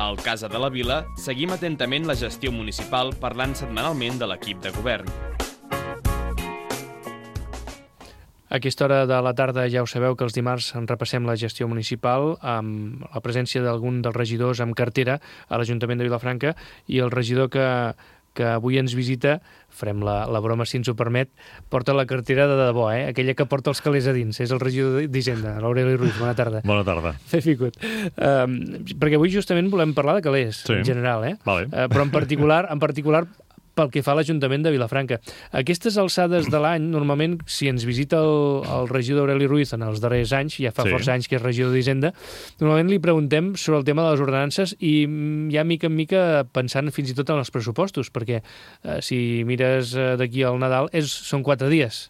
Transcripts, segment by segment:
Al Casa de la Vila seguim atentament la gestió municipal parlant setmanalment de l'equip de govern. A aquesta hora de la tarda ja ho sabeu que els dimarts en repassem la gestió municipal amb la presència d'algun dels regidors amb cartera a l'Ajuntament de Vilafranca i el regidor que avui ens visita, farem la broma si ens ho permet, porta la cartera de debò, aquella que porta els calés a dins. És el regidor d'Hisenda, l'Aureli Ruiz. Bona tarda. Bona tarda. Benvingut. Perquè avui justament volem parlar de calés, en general, Vale. Però en particular pel que fa a l'Ajuntament de Vilafranca. A aquestes alçades de l'any, normalment, si ens visita el regidor Aureli Ruiz en els darrers anys, ja fa força anys que és regidor d'Hisenda, normalment li preguntem sobre el tema de les ordenances i ja mica en mica pensant fins i tot en els pressupostos, perquè si mires d'aquí al Nadal són 4 dies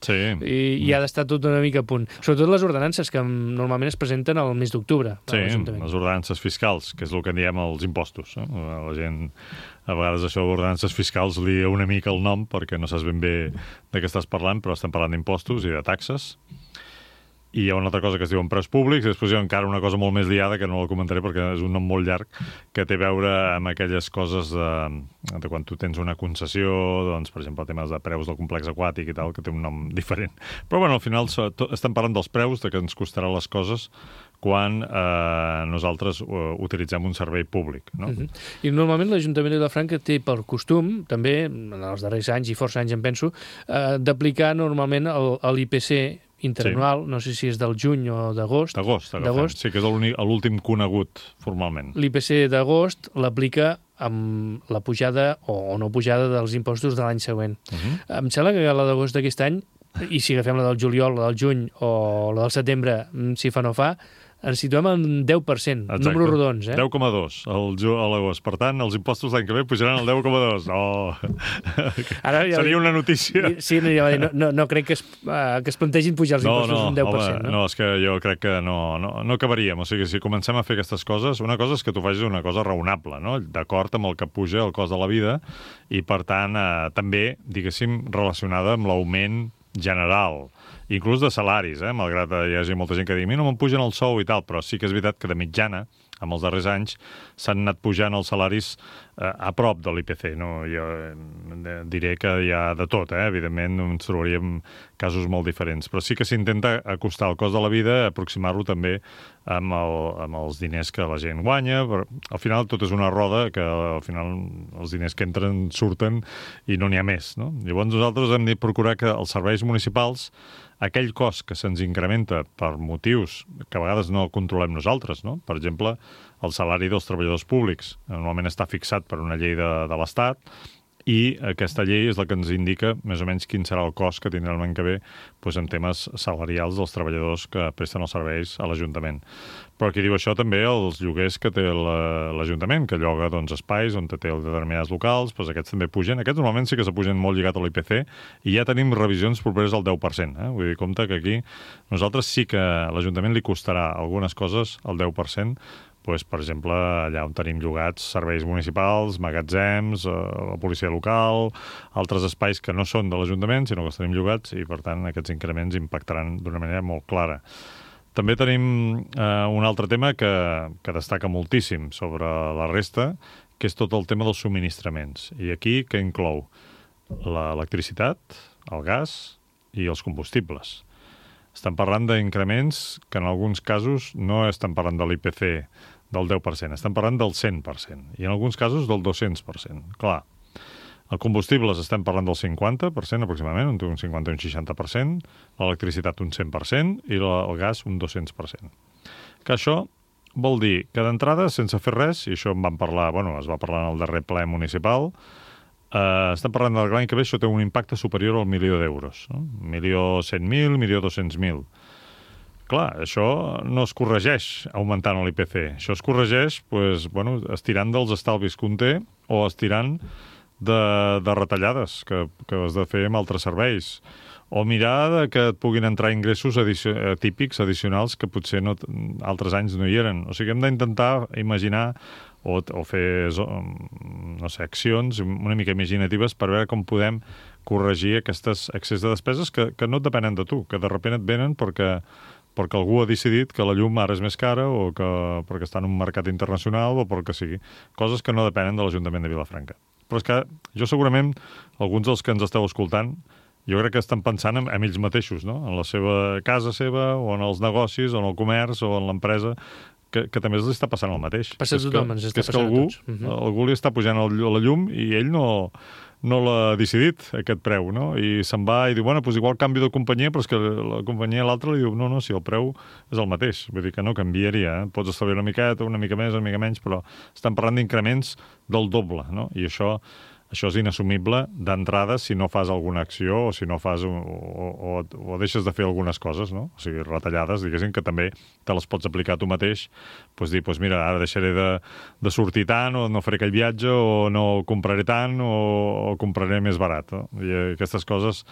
i ha d'estar tot una mica a punt. Sobretot les ordenances que normalment es presenten al mes d'octubre. Sí, les ordenances fiscals, que és el que en diem els impostos. La gent, a vegades això d'ordenances fiscals li una mica el nom perquè no saps ben bé de què estàs parlant, però estem parlant d'impostos i de taxes. I hi ha una altra cosa que es diuen preus públics, i després hi ha encara una cosa molt més liada, que no la comentaré perquè és un nom molt llarg, que té a veure amb aquelles coses de quan tu tens una concessió, doncs, per exemple, temes de preus del complex aquàtic i tal, que té un nom diferent. Però, bueno, al final estem parlant dels preus, de què ens costaran les coses quan nosaltres utilitzem un servei públic. No? I normalment l'Ajuntament de Vilafranca té per costum, també en els darrers anys i força anys em penso, d'aplicar normalment l'IPC interanual, no sé si és del juny o d'agost. D'agost, sí, que és l'últim conegut formalment. L'IPC d'agost l'aplica amb la pujada o no pujada dels impostos de l'any següent. Em sembla que la d'agost d'aquest any, i si agafem la del juliol, la del juny o la del setembre, si fa no fa, ens situem en 10%, números rodons. 10,2 a l'agost. Per tant, els impostos l'any que ve pujaran al 10,2. Seria una notícia. Sí, no crec que es plantegin pujar els impostos un 10%. No, és que jo crec que no acabaríem. O sigui, si comencem a fer aquestes coses, una cosa és que tu facis una cosa raonable, no? D'acord amb el que puja el cost de la vida i, per tant, també, diguéssim, relacionada amb l'augment general, inclús de salaris, malgrat que hi hagi molta gent que digui no me'n pugen el sou i tal, però sí que és veritat que de mitjana, en els darrers anys, s'han anat pujant els salaris a prop de l'IPC. No? Jo diré que hi ha de tot, evidentment ens trobaríem casos molt diferents, però sí que s'intenta acostar el cost de la vida, aproximar-lo també amb els diners que la gent guanya, però al final tot és una roda que al final els diners que entren surten i no n'hi ha més. No? Llavors nosaltres hem de procurar que els serveis municipals, aquell cost que se'ns incrementa per motius que a vegades no controlem nosaltres, no? Per exemple, el salari dels treballadors públics normalment està fixat per una llei de l'Estat i aquesta llei és la que ens indica més o menys quin serà el cost que tindrà l'any que ve en temes salarials dels treballadors que presten els serveis a l'Ajuntament. Però aquí diu això també els lloguers que té l'Ajuntament, que lloga espais on té determinats locals, aquests també pugen. Aquests normalment sí que s'apugen molt lligat a l'IPC i ja tenim revisions properes al 10%. Vull dir, compte que aquí nosaltres sí que a l'Ajuntament li costarà algunes coses al 10%, per exemple, allà on tenim llogats serveis municipals, magatzems, la policia local, altres espais que no són de l'Ajuntament, sinó que els tenim llogats i, per tant, aquests increments impactaran d'una manera molt clara. També tenim un altre tema que destaca moltíssim sobre la resta, que és tot el tema dels subministraments. I aquí què inclou? L'electricitat, el gas i els combustibles. Estem parlant d'increments que en alguns casos no estem parlant de l'IPC del 10%, estem parlant del 100%, i en alguns casos del 200%. Clar, el combustibles estem parlant del 50% aproximadament, un 50 i un 60%, l'electricitat un 100% i el gas un 200%. Que això vol dir que d'entrada, sense fer res, i això en vam parlar, es va parlar en el darrer ple municipal, estem parlant del l'any que ve, això té un impacte superior al 1.000.000 d'euros, no? 1.100.000, 1.200.000. Clar, això no es corregeix augmentant l'IPC. Això es corregeix estirant dels estalvis que un té o estirant de retallades que has de fer amb altres serveis. O mirar que et puguin entrar ingressos típics, addicionals, que potser altres anys no hi eren. O sigui, hem d'intentar imaginar o fer accions una mica imaginatives per veure com podem corregir aquests excés de despeses que no et depenen de tu, que de sobte et venen perquè perquè algú ha decidit que la llum ara és més cara o que perquè està en un mercat internacional o pel que sigui. Coses que no depenen de l'Ajuntament de Vilafranca. Però és que jo segurament, alguns dels que ens esteu escoltant, jo crec que estan pensant en ells mateixos, no? En la seva casa seva, o en els negocis, o en el comerç, o en l'empresa, que també els està passant el mateix. Passa a tothom, ens està passant a tots. Algú li està pujant la llum i ell no l'ha decidit, aquest preu, no? I se'n va i diu, bueno, doncs igual canvi de companyia, però és que la companyia a l'altra li diu, no, si el preu és el mateix. Vull dir que no canviaria, eh? Pots estalviar una miqueta, una mica més, una mica menys, però estan parlant d'increments del doble, no? I això és inassumible d'entrada si no fas alguna acció o si no fas o deixes de fer algunes coses, no? O sigui, retallades, diguéssim, que també te les pots aplicar tu mateix, doncs dir, mira, ara deixaré de sortir tant o no faré aquell viatge o no compraré tant o compraré més barat, no? I aquestes coses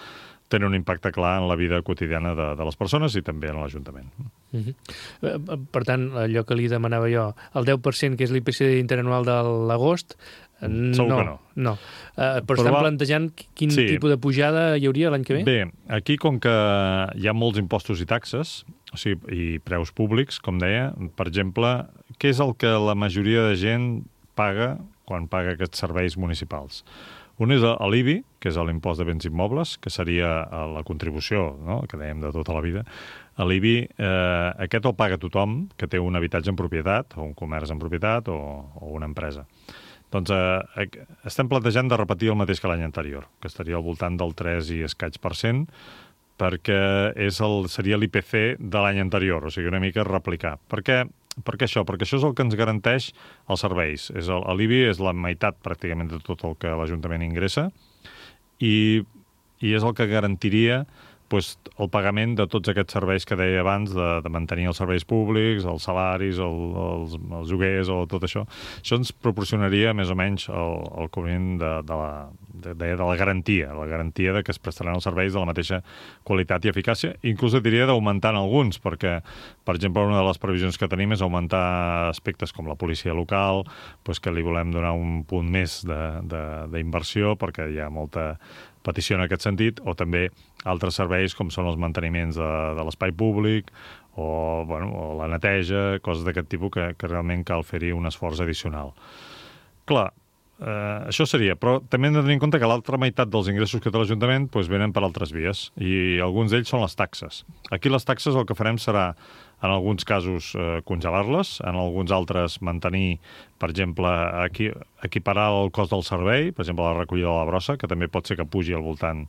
tenen un impacte clar en la vida quotidiana de les persones i també en l'Ajuntament. Per tant, allò que li demanava jo, el 10% que és l'IPC interanual de l'agost, segur que no. No. Però estan plantejant quin tipus de pujada hi hauria l'any que ve? Bé, aquí com que hi ha molts impostos i taxes, o sigui, i preus públics, com deia, per exemple, què és el que la majoria de gent paga quan paga aquests serveis municipals? Un és l'IBI, que és l'impost de béns immobles, que seria la contribució, no?, que dèiem de tota la vida. L'IBI, aquest el paga tothom que té un habitatge en propietat, o un comerç en propietat, o una empresa. Doncs estem plantejant de repetir el mateix que l'any anterior, que estaria al voltant del 3 i escaig %, perquè seria l'IPC de l'any anterior, o sigui, una mica replicar. Per què això? Perquè això és el que ens garanteix els serveis. L'IBI és la meitat pràcticament de tot el que l'Ajuntament ingressa i és el que garantiria el pagament de tots aquests serveis que deia abans, de mantenir els serveis públics, els salaris, els lloguers o tot això. Això ens proporcionaria més o menys el cobriment de la garantia de que es prestaran els serveis de la mateixa qualitat i eficàcia. Inclús diria d'augmentar en alguns, perquè, per exemple, una de les previsions que tenim és augmentar aspectes com la policia local, que li volem donar un punt més d'inversió, perquè hi ha molta petició en aquest sentit, o també altres serveis com són els manteniments de l'espai públic o la neteja, coses d'aquest tipus que realment cal fer-hi un esforç addicional. Clar, això seria, però també hem de tenir en compte que l'altra meitat dels ingressos que té l'Ajuntament venen per altres vies, i alguns d'ells són les taxes. Aquí les taxes el que farem serà, en alguns casos, congelar-les, en alguns altres mantenir, per exemple, equiparar el cost del servei, per exemple, la recollida de la brossa, que també pot ser que pugi al voltant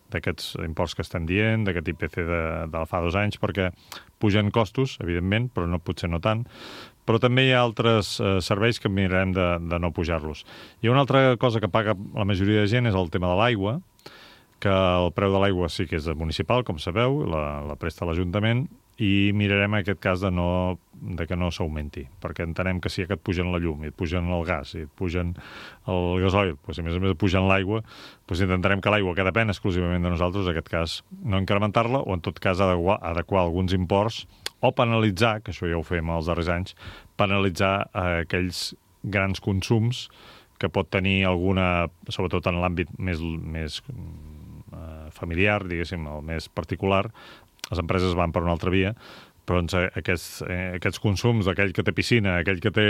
d'aquests imports que estem dient, d'aquest IPC de fa 2 anys, perquè pugen costos, evidentment, però potser no tant. Però també hi ha altres serveis que mirarem de no pujar-los. I una altra cosa que paga la majoria de gent és el tema de l'aigua, que el preu de l'aigua sí que és municipal, com sabeu, la presta l'Ajuntament, i mirarem en aquest cas de que no s'augmenti, perquè entenem que si et pugen la llum, i et pugen el gas, i et pugen el gasoil, i a més et pugen l'aigua, intentarem que l'aigua, que depèn exclusivament de nosaltres, en aquest cas no incrementar-la, o en tot cas adequar alguns imports, o penalitzar, que això ja ho fem els darrers anys, penalitzar aquells grans consums que pot tenir alguna, sobretot en l'àmbit més familiar, diguéssim, el més particular. Les empreses van per una altra via, però aquests consums d'aquell que té piscina, aquell que té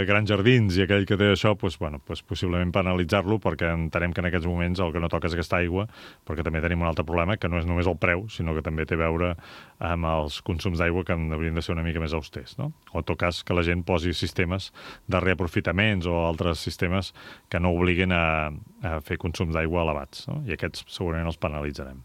grans jardins i aquell que té això, possiblement penalitzar-lo, perquè entenem que en aquests moments el que no toca és aquesta aigua, perquè també tenim un altre problema, que no és només el preu, sinó que també té a veure amb els consums d'aigua que haurien de ser una mica més austers, no? O en tot cas que la gent posi sistemes de reaprofitaments o altres sistemes que no obliguin a fer consums d'aigua elevats, no? I aquests segurament els penalitzarem.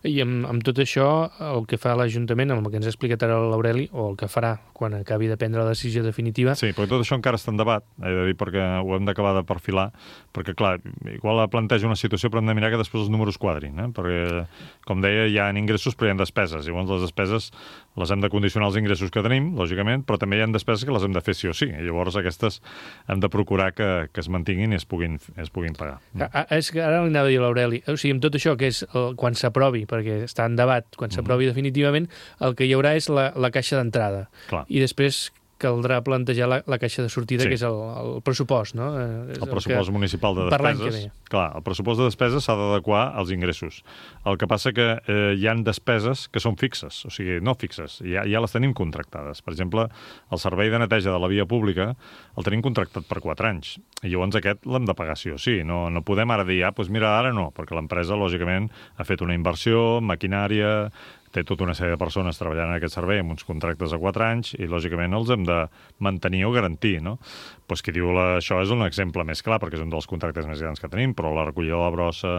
I amb tot això, el que fa l'Ajuntament, amb el que ens ha explicat ara l'Aureli, o el que farà quan acabi de prendre la decisió definitiva... Sí, però tot això encara està en debat, he de dir, perquè ho hem d'acabar de perfilar, perquè, clar, igual planteja una situació, però hem de mirar que després els números quadrin, perquè, com deia, hi ha ingressos però hi ha despeses, i llavors les despeses les hem de condicionar als ingressos que tenim, lògicament, però també hi ha despeses que les hem de fer sí o sí, i llavors aquestes hem de procurar que es mantinguin i es puguin pagar. És que ara li anava a dir a l'Aureli, o sigui, amb tot això, que és quan s'aprovi, perquè està en debat, quan s'aprovi definitivament, el que hi haurà és la caixa d'entrada. Clar. I després, caldrà plantejar la caixa de sortida, que és el pressupost, no? El pressupost municipal de despeses. Per l'any que ve. Clar, el pressupost de despeses s'ha d'adequar als ingressos. El que passa que hi han despeses que són fixes, o sigui, no fixes, ja les tenim contractades. Per exemple, el servei de neteja de la via pública el tenim contractat per 4 anys, i llavors aquest l'hem de pagar sí o sí. No podem ara dir, doncs mira, ara no, perquè l'empresa, lògicament, ha fet una inversió, maquinària, té tota una sèrie de persones treballant en aquest servei amb uns contractes a 4 anys i, lògicament, els hem de mantenir o garantir, no? Doncs qui diu això és un exemple més clar, perquè és un dels contractes més grans que tenim, però la recollida de la brossa,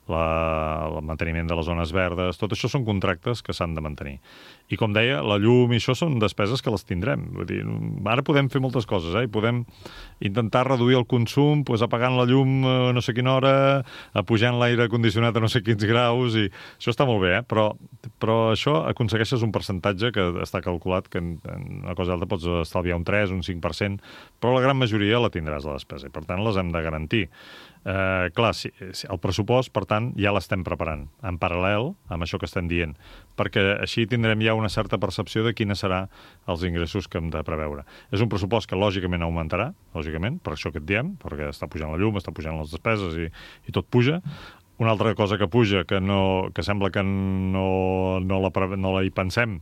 el manteniment de les zones verdes, tot això són contractes que s'han de mantenir. I, com deia, la llum i això són despeses que les tindrem. Vull dir, ara podem fer moltes coses, i podem intentar reduir el consum apagant la llum a no sé quina hora, apujant l'aire condicionat a no sé quins graus, i això està molt bé, però això aconsegueixes un percentatge que està calculat que en una cosa alta pots estalviar un 3, un 5%, però la gran majoria la tindràs, la despesa, i per tant les hem de garantir. Clar, el pressupost, per tant, ja l'estem preparant en paral·lel amb això que estem dient, perquè així tindrem ja una certa percepció de quines seran els ingressos que hem de preveure. És un pressupost que lògicament augmentarà, lògicament, per això que et diem, perquè està pujant la llum, està pujant les despeses i tot puja. Una altra cosa que puja, que sembla que no la hi pensem,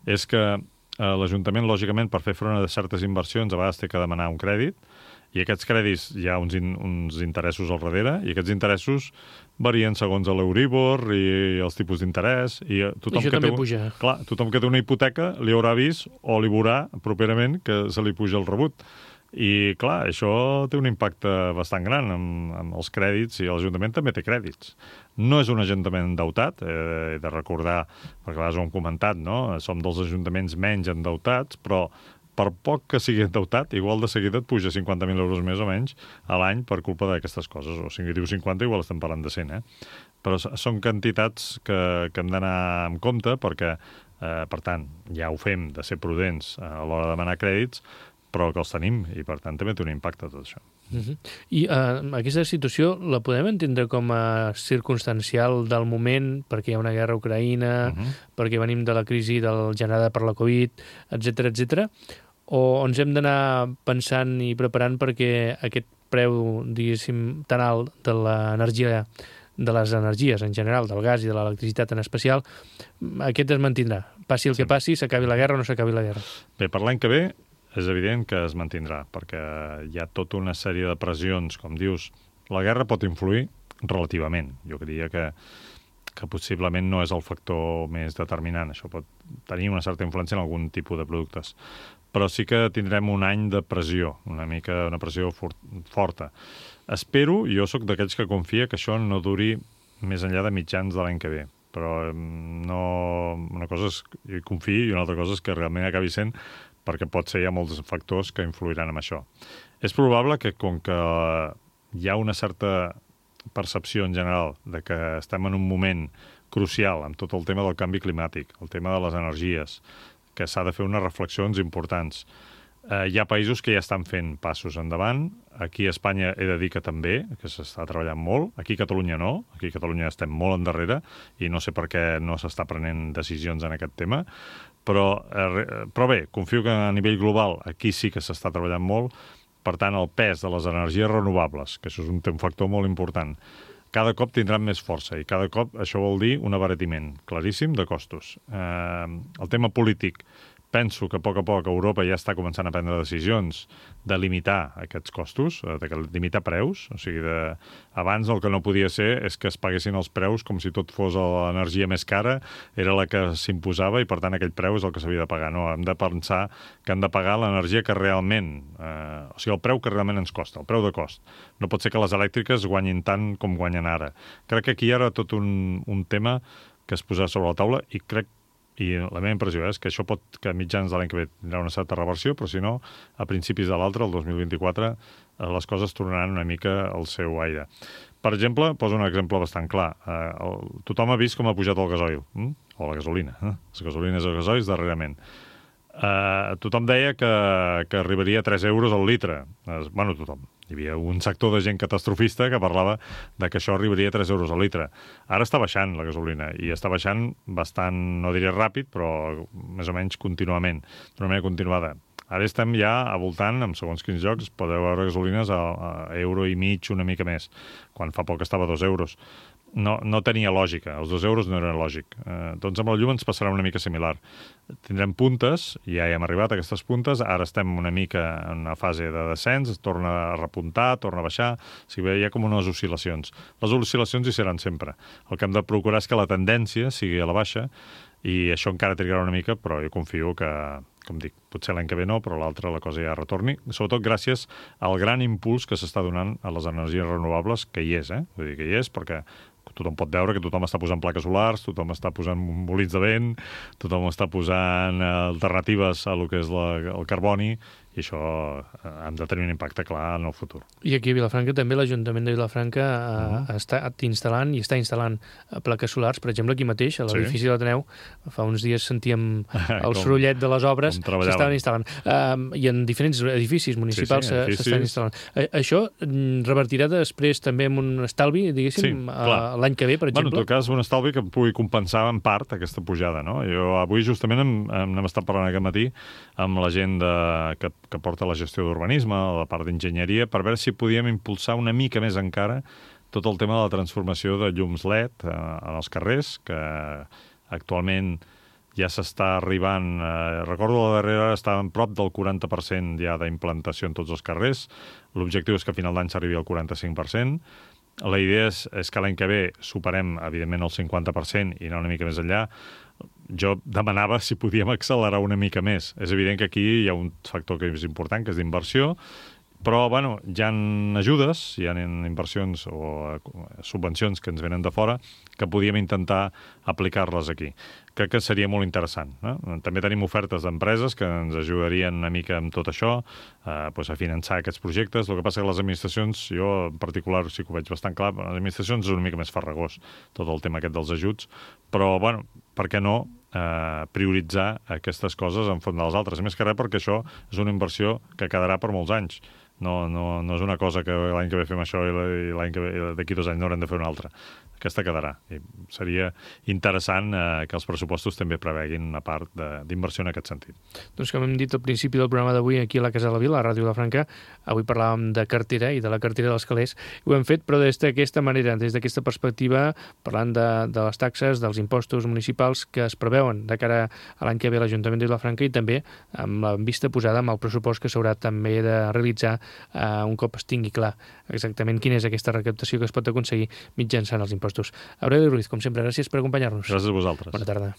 és que l'Ajuntament, lògicament, per fer front a certes inversions, a vegades té que demanar un crèdit, i aquests crèdits hi ha uns interessos al darrere, i aquests interessos varien segons l'Euríbor i els tipus d'interès. I això també puja. Clar, tothom que té una hipoteca li haurà vist o li veurà properament que se li puja el rebut. I, clar, això té un impacte bastant gran amb els crèdits, i l'Ajuntament també té crèdits. No és un ajuntament endeutat, he de recordar, perquè a vegades ho hem comentat, no? Som dels ajuntaments menys endeutats, però per poc que sigui endeutat, igual de seguida et puja 50.000 euros més o menys a l'any per culpa d'aquestes coses. O sigui, diu 50, igual estem parlant de 100, Però són quantitats que hem d'anar amb compte perquè, per tant, ja ho fem de ser prudents a l'hora de demanar crèdits, però que els tenim, i per tant també té un impacte tot això. I aquesta situació la podem entendre com a circumstancial del moment, perquè hi ha una guerra a Ucraïna, perquè venim de la crisi generada per la Covid, etc, o ens hem d'anar pensant i preparant perquè aquest preu, diguéssim, tan alt de l'energia, de les energies en general, del gas i de l'electricitat en especial, aquest es mantindrà. Passi el que passi, s'acabi la guerra o no s'acabi la guerra. Bé, per l'any que ve és evident que es mantindrà, perquè hi ha tota una sèrie de pressions, com dius. La guerra pot influir relativament. Jo diria que possiblement no és el factor més determinant. Això pot tenir una certa influència en algun tipus de productes. Però sí que tindrem un any de pressió, una pressió forta. Espero, jo sóc d'aquells que confia que això no duri més enllà de mitjans de l'any que ve. Però una cosa és que confiï i una altra cosa és que realment acabi sent, perquè pot ser hi ha molts factors que influiran en això. És probable que, com que hi ha una certa percepció en general de que estem en un moment crucial amb tot el tema del canvi climàtic, el tema de les energies, que s'ha de fer unes reflexions importants. Hi ha països que ja estan fent passos endavant. Aquí a Espanya he de dir que també, que s'està treballant molt. Aquí a Catalunya no. Aquí a Catalunya estem molt endarrere i no sé per què no s'està prenent decisions en aquest tema. Però bé, confio que a nivell global aquí sí que s'està treballant molt. Per tant, el pes de les energies renovables, que això és un factor molt important, cada cop tindran més força i cada cop això vol dir un abaratiment claríssim de costos. El tema polític, penso que a poc Europa ja està començant a prendre decisions de limitar aquests costos, de limitar preus. O sigui, abans el que no podia ser és que es paguessin els preus com si tot fos l'energia més cara, era la que s'imposava i per tant aquell preu és el que s'havia de pagar. No, hem de pensar que hem de pagar l'energia que realment, o sigui, el preu que realment ens costa, el preu de cost. No pot ser que les elèctriques guanyin tant com guanyen ara. Crec que aquí hi ha tot un tema que es posarà sobre la taula i crec i la meva impressió és que això que a mitjans de l'any que ve tindrà una certa reversió, però si no, a principis de l'altre, el 2024, les coses tornaran una mica al seu aire. Per exemple, poso un exemple bastant clar. Tothom ha vist com ha pujat el gasoil, o la gasolina, les gasolines i els gasoils darrerament. Tothom deia que arribaria a 3 euros al litre. Bueno, tothom. Hi havia un sector de gent catastrofista que parlava de que això arribaria a 3 euros al litre. Ara està baixant la gasolina, i està baixant bastant, no diré ràpid, però més o menys contínuament, d'una manera continuada. Ara estem ja a voltant, en segons quins llocs, podeu veure gasolines a €1,50, una mica més, quan fa poc estava a 2 euros. No tenia lògica, els 2 euros no eren lògic. Doncs amb el llum ens passarà una mica similar. Tindrem puntes, ja hi hem arribat a aquestes puntes, ara estem una mica en una fase de descens, torna a repuntar, torna a baixar, o sigui, hi ha com unes oscil·lacions. Les oscil·lacions hi seran sempre. El que hem de procurar és que la tendència sigui a la baixa, i això encara trigarà una mica, però jo confio que, com dic, potser l'any que ve no, però l'altre la cosa ja retorni, sobretot gràcies al gran impuls que s'està donant a les energies renovables, que hi és, Vull dir que hi és, perquè tothom pot veure que tothom està posant plaques solars, tothom està posant molins de vent, tothom està posant alternatives a lo que és el carboni, i això han de tenir un impacte clar en el futur. I aquí a Vilafranca també l'Ajuntament de Vilafranca està instal·lant plaques solars, per exemple, aquí mateix, a l'edifici de l'Ateneu, fa uns dies sentíem el sorollet de les obres, s'estaven instal·lant. I en diferents edificis municipals s'estan instal·lant. Això revertirà després també en un estalvi, diguéssim, l'any que ve, per exemple? En tot cas, un estalvi que pugui compensar en part aquesta pujada, no? Jo avui justament n'hem estat parlant aquest matí amb la gent que porta la gestió d'urbanisme, la part d'enginyeria, per veure si podíem impulsar una mica més encara tot el tema de la transformació de llums LED en els carrers, que actualment ja s'està arribant... Recordo la darrera estava prop del 40% ja d'implantació en tots els carrers. L'objectiu és que a final d'any s'arribi al 45%. La idea és que l'any que ve superem, evidentment, el 50% i anar una mica més enllà. Jo demanava si podíem accelerar una mica més. És evident que aquí hi ha un factor que és important, que és d'inversió, però, bueno, hi ha ajudes, hi ha inversions o subvencions que ens venen de fora que podíem intentar aplicar-les aquí. Crec que seria molt interessant. També tenim ofertes d'empreses que ens ajudarien una mica amb tot això, a finançar aquests projectes. El que passa que les administracions, jo en particular sí que ho veig bastant clar, les administracions és una mica més farragós, tot el tema aquest dels ajuts, però, bueno, per què no prioritzar aquestes coses enfront de les altres? A més que res perquè això és una inversió que quedarà per molts anys. No és una cosa que l'any que ve fem això i l'any que ve, d'aquí 2 anys no haurem de fer una altra. Aquesta quedarà. I seria interessant que els pressupostos també preveguin una part d'inversió en aquest sentit. Doncs com hem dit al principi del programa d'avui aquí a la Casa de la Vila, a Ràdio Vilafranca, avui parlàvem de cartera i de la cartera dels calés. Ho hem fet, però des d'aquesta manera, des d'aquesta perspectiva, parlant de les taxes, dels impostos municipals que es preveuen de cara a l'any que ve a l'Ajuntament de Vilafranca i també amb la vista posada amb el pressupost que s'haurà també de realitzar un cop es tingui clar exactament quina és aquesta recaptació que es pot aconseguir mitjançant els impostos. Aureli Ruiz, com sempre, gràcies per acompanyar-nos. Gràcies a vosaltres. Bona tarda.